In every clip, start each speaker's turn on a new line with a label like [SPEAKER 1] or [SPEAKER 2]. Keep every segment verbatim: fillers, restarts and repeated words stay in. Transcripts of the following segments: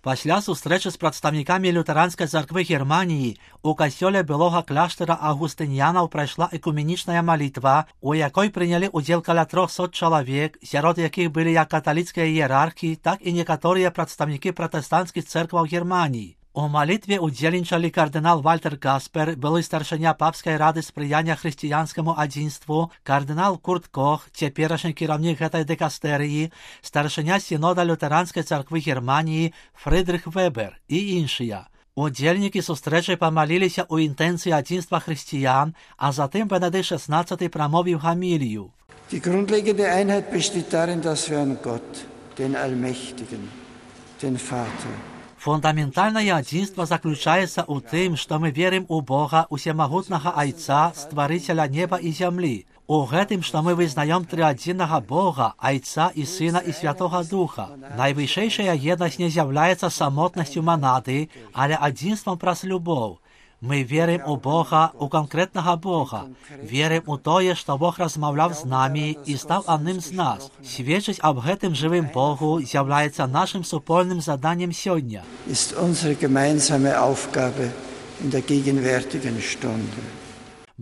[SPEAKER 1] Пасля сустрэчы з прадстаўнікамі лютэранскай царквы Германіі у касцёле былога кляштара аўгустынянаў прайшла экуменічная малітва, у якой прынялі ўдзел каля трохсот чалавек, сярод якіх былі як каталіцкія іерархі, так і некаторыя прадстаўнікі пратэстанцкіх цэркваў Германіі. У малітве удзельнічалі кардынал Вальтер Каспер, былы старшыня папскай рады спрыяння хрысціянскаму адзінству, кардынал Курт Кох, цяперашні кіраўнік гэтай дыкастэрыі, старшыня сінода лютэранскай царквы Германіі Фрыдрых Вебер і іншыя. Удзельнікі сустрэчы памаліліся ў інтэнцыі адзінства хрысціян, а затым Бенедыкт шестнадцатый прамовіў гамілію.
[SPEAKER 2] Die grundlegende Einheit besteht darin, dass wir an Gott, den Allmächtigen, den Vater,
[SPEAKER 1] Фундаментальнае адзінства заключаецца ў тым, што мы верым у Бога, усемагутнага Айца, стварыцеля неба і зямлі. У гэтым, што мы вызнаём трыадзіннага Бога, Айца і Сына і Святога Духа. Найвышэйшая еднасць не з'яўляецца самотнасцю манады, але адзінствам праз любоў. Мы верым у Бога, у канкрэтнага Бога. Верым у тое, што Бог размаўляў з намі і стаў адным з нас. Сведчыць аб гэтым жывым Богу з'яўляецца нашым супольным заданнем сёння.
[SPEAKER 2] Ist unsere gemeinsame Aufgabe in der gegenwärtigen Stunde.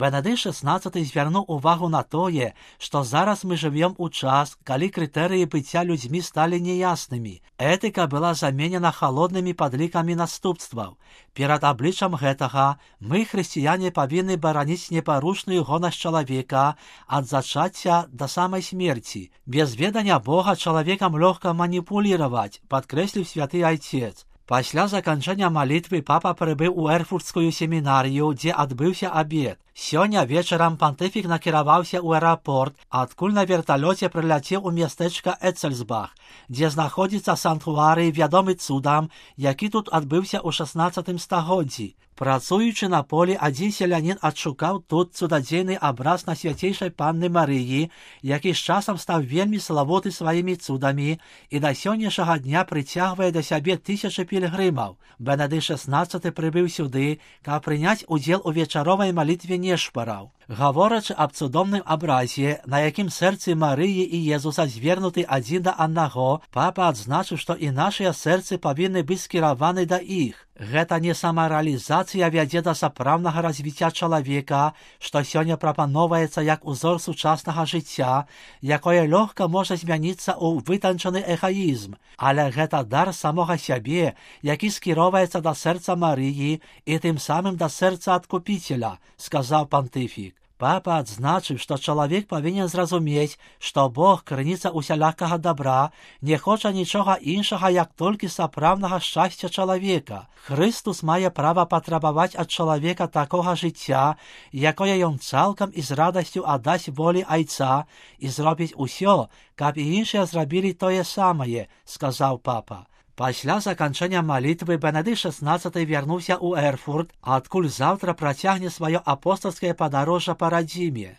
[SPEAKER 1] Бенедыкт шестнадцатый звярнуў увагу на тое, што зараз мы жывем у час, калі крытэрыі быцця людзьмі сталі неяснымі. Этыка была заменена халоднымі падлікамі наступстваў. Перад абліччам гэтага мы, хрысціяне, павінны бараніць непарушную гонасць чалавека ад зачацця да самай смерці. Без ведання Бога чалавекам лёгка маніпуліраваць, падкрэсліў святы айцец. Пасля заканчэння малітвы папа прыбыў у эрфуртскую семінарыю, дзе адбыўся абед. Сёння вечарам пантыфік накіраваўся ў аэрапорт, адкуль на верталёце прыляцеў у мястэчка Эцельсбах, дзе знаходзіцца санктуарый, вядомы цудам, які тут адбыўся ў шаснаццатым стагоддзі. Працуючы на полі, адзін селянін адшукаў тут цудадзейны абраз на свяцейшай панны Марыі, які з часам стаў вельмі славуты сваімі цудамі і да сённяшняга дня прыцягвае да сябе тысячы пільгрымаў. Бенедыкт шестнадцатый прыбыў сюды, каб прыняць удзел у вечаровай малітве нешпараў. Гаворачы аб цудоўным абразе, на якім сэрцы Марыі і Езуса звернуты адзін да аднаго, папа адзначыў, што і нашыя сэрцы павінны быць скіраваны да іх. Гэта не самарэалізацыя вядзе да сапраўднага развіцця чалавека, што сёння прапаноўваецца як узор сучаснага жыцця, якое лёгка можа змяніцца ў вытанчаны эгаізм, але гэта дар самога сябе, які скіроўваецца да сэрца Марыі і тым самым да сэрца адкупіцеля, сказаў пантыфік. Папа адзначыў, што чалавек павінен зразумець, што Бог, крыніца усялякага добра, не хоча нічога іншага, як толькі сапраўднага шчасця чалавека. Хрыстус мае права патрабаваць ад чалавека такога жыцця, якое ён цалкам і з радасцю аддасць волі Айца і зробіць усё, каб і іншыя зрабілі тое самае, сказаў папа. Пасля заканчэння малітвы Бенедыкт шестнадцатый вярнуўся ў Эрфурт, адкуль заўтра працягне сваё апостальскае падарожжа па радзіме.